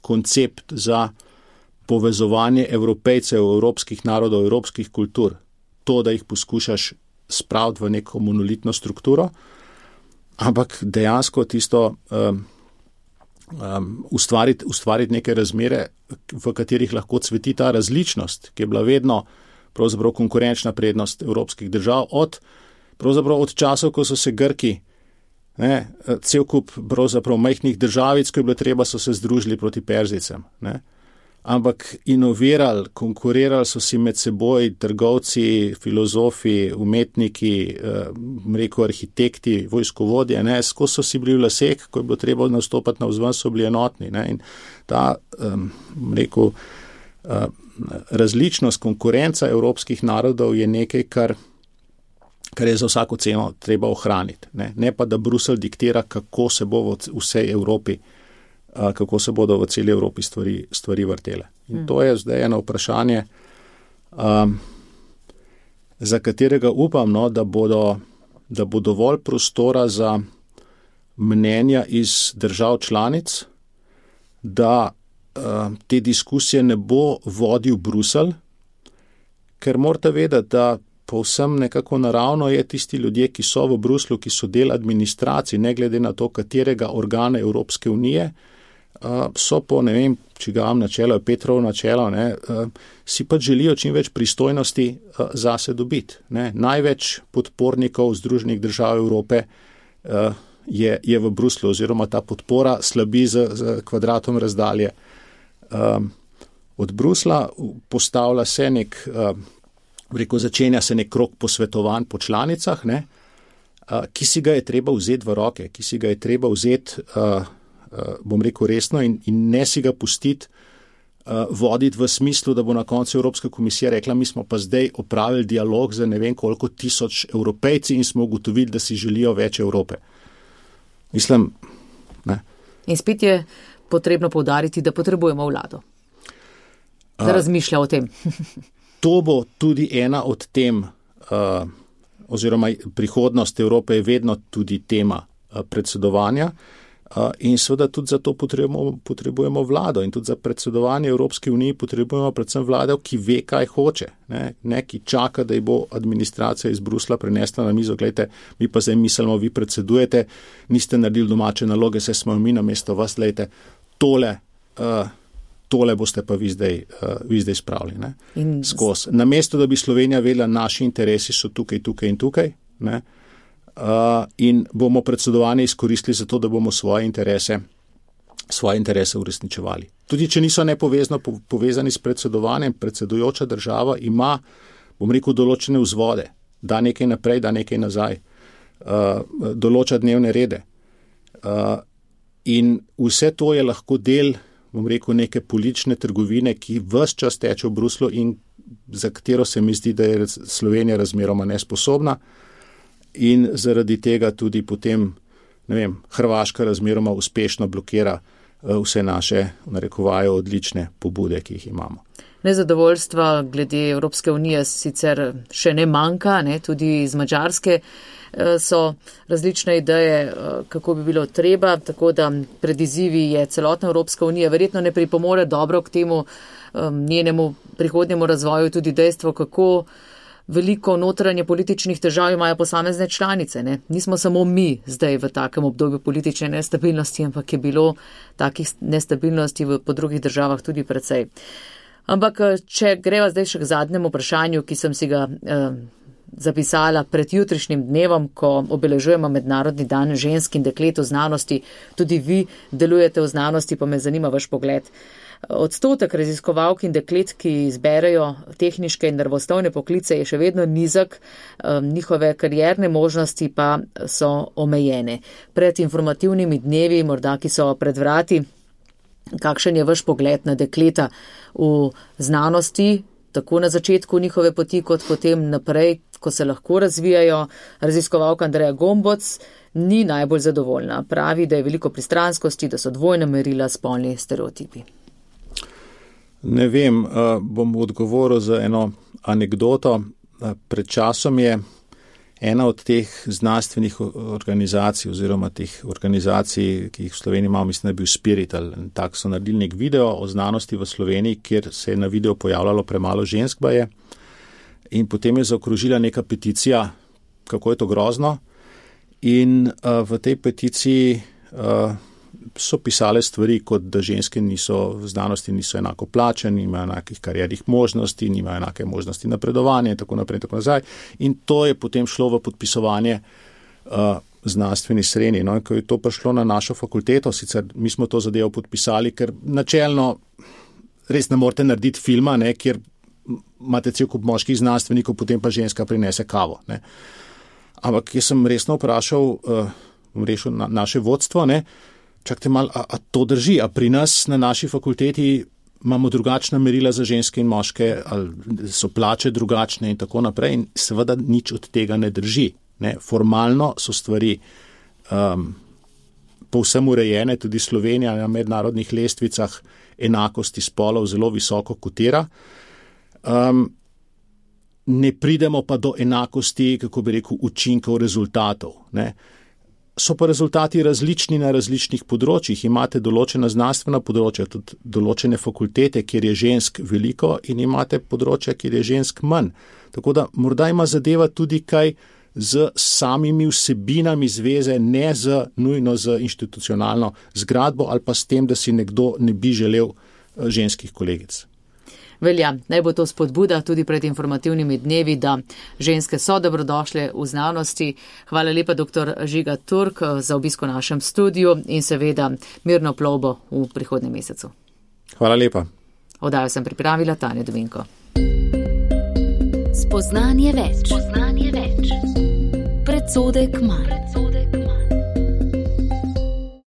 koncept za povezovanje Evropejcev, evropskih narodov, evropskih kultur. To, da jih poskušaš spraviti v neko monolitno strukturo, ampak dejansko tisto um, um, ustvariti, ustvariti neke razmere, v katerih lahko cveti ta različnost, ki je bila vedno pravzaprav konkurenčna prednost evropskih držav, od, pravzaprav od časov, ko so se Grki, ne, cel kup pravzaprav majhnih državic, ko je bilo treba, so se združili proti Perzicem, ne. Ampak inovirali, konkurirali so si med seboj trgovci, filozofi, umetniki, eh, rekel arhitekti, vojskovodje, ne, skozi so si bili v lasek, ko je bilo treba nastopati navzven, so bili enotni, ne, in ta, eh, rekel, eh, različnost, konkurenca evropskih narodov je nekaj, kar kar je za vsako ceno treba ohraniti. Ne, ne pa, da Bruselj diktira, kako se bo v vsej Evropi, kako se bodo v celi Evropi stvari, stvari vrtele. In to je zdaj eno vprašanje, um, za katerega upam, no, da, bodo, da bo dovolj prostora za mnenja iz držav članic, da um, te diskusije ne bo vodil Bruselj, ker morate vedeti, da povsem nekako naravno je tisti ljudje, ki so v Bruslju, ki so del administracij, ne glede na to, katerega organa Evropske unije, so po, ne vem, čigavam načelo, Petrovo načelo, ne, si pa želijo čim več pristojnosti zase dobiti. Ne. Največ podpornikov Združenih držav Evrope je, je v Bruslju, oziroma ta podpora slabi z, z kvadratom razdalje. Od Brusla postavlja se nek, rekel, začenja se nek krog posvetovanj po članicah, ne, ki si ga je treba vzeti v roke, ki si ga je treba vzeti, bom rekel, resno in, in ne si ga pustiti voditi v smislu, da bo na koncu Evropska komisija rekla, mi smo pa zdaj opravili dialog za ne vem koliko tisoč Evropejci in smo ugotovili, da si želijo več Evrope. Mislim, ne. In spet je potrebno poudariti, da potrebujemo vlado. Da razmišlja o tem. To bo tudi ena od tem, uh, oziroma prihodnost Evrope je vedno tudi tema uh, predsedovanja uh, in seveda tudi za to potrebujemo, potrebujemo vlado in tudi za predsedovanje Evropske unije potrebujemo predvsem vlado, ki ve, kaj hoče, ne, ne ki čaka, da ji bo administracija iz Brusla prinesla na mizo, gledajte, mi pa zdaj mislimo, vi predsedujete, niste naredili domače naloge, se smo mi namesto vas, gledajte, tole uh, tole boste pa vi zdaj, uh, vi zdaj spravili, ne, skozi. Namesto, da bi Slovenija vedela, naši interesi so tukaj, tukaj in tukaj, ne, uh, in bomo predsedovanje izkoristili za to, da bomo svoje interese, svoje interese uresničevali. Tudi, če niso nepovezano povezani s predsedovanjem, predsedujoča država ima, bom rekel, določene vzvode, da nekaj naprej, da nekaj nazaj, uh, določa dnevne rede. Uh, in vse to je lahko del, bom rekel, neke politične trgovine, ki ves čas teče v Bruslu in za katero se mi zdi, da je Slovenija razmeroma nesposobna in zaradi tega tudi potem, ne vem, Hrvaška razmeroma uspešno blokira vse naše, narekovajo, odlične pobude, ki jih imamo. Nezadovoljstva glede Evropske unije sicer še ne manjka, ne, tudi iz Madžarske so različne ideje, kako bi bilo treba, tako da pred izzivi je celotna Evropska unija, verjetno ne pripomore dobro k temu njenemu prihodnjemu razvoju tudi dejstvo, kako veliko notranje političnih težav imajo posamezne članice. Ne. Nismo samo mi zdaj v takem obdobju politične nestabilnosti, ampak je bilo takih nestabilnosti v, po drugih državah tudi precej. Ampak, če greva zdaj še k zadnjemu vprašanju, ki sem si ga eh, zapisala pred jutrišnjim dnevom, ko obeležujemo Mednarodni dan žensk in deklet v znanosti, tudi vi delujete v znanosti, pa me zanima vaš pogled. Odstotek raziskovalk in deklet, ki izberejo tehniške in naravoslovne poklice, je še vedno nizek, njihove karierne možnosti pa so omejene. Pred informativnimi dnevi, morda ki so pred vrati, kakšen je vaš pogled na dekleta v znanosti, tako na začetku njihove poti, kot potem naprej, ko se lahko razvijajo? Raziskovalka Andreja Gomboc ni najbolj zadovoljna. Pravi, da je veliko pristranskosti, da so dvojna merila, spolni stereotipi. Ne vem, bom odgovoril za eno anekdoto. Pred časom je ena od teh znanstvenih organizacij oziroma teh organizacij, ki jih v Sloveniji imamo, mislim, da je bil Spirit, ali tak so naredili nek video o znanosti v Sloveniji, kjer se je na video pojavljalo premalo žensk baje in potem je zaokrožila neka peticija, kako je to grozno, in uh, v tej peticiji uh, so pisale stvari, kot da ženske niso v znanosti niso enako plačene, nimajo enakih kariernih možnosti, nimajo enake možnosti napredovanja in tako naprej in tako nazaj. In to je potem šlo v podpisovanje uh, znanstveni sreni. No, in ko je to prišlo na našo fakulteto, sicer mi smo to zadevo podpisali, ker načelno res ne morete narediti filma, ne, kjer imate cel kup moških znanstvenikov, potem pa ženska prinese kavo. Ne. Ampak jaz sem resno vprašal uh, rešil na, naše vodstvo, ne, čakajte malo, a, a to drži, a pri nas na naši fakulteti imamo drugačna merila za ženske in moške, ali so plače drugačne in tako naprej, in seveda nič od tega ne drži. Ne. Formalno so stvari um, povsem urejene, tudi Slovenija na mednarodnih lestvicah enakosti spolov zelo visoko kotira. Um, ne pridemo pa do enakosti, kako bi rekel, učinkov, rezultatov. Ne. so pa rezultati različni na različnih področjih. Imate določena znanstvena področja, tudi določene fakultete, kjer je žensk veliko in imate področja, kjer je žensk manj. Tako da morda ima zadeva tudi kaj z samimi vsebinami zveze, ne z nujno z institucionalno zgradbo ali pa s tem, da si nekdo ne bi želel ženskih kolegic. Velja, naj bo to spodbuda tudi pred informativnimi dnevi, da ženske so dobrodošle v znanosti. Hvala lepa, doktor Žiga Turk, za obisko v našem studiu in seveda mirno plovbo v prihodnjem mesecu. Hvala lepa. Oddajo sem pripravila Tanja Dominko. Spoznanje več. Spoznanje več. Predsodek manj.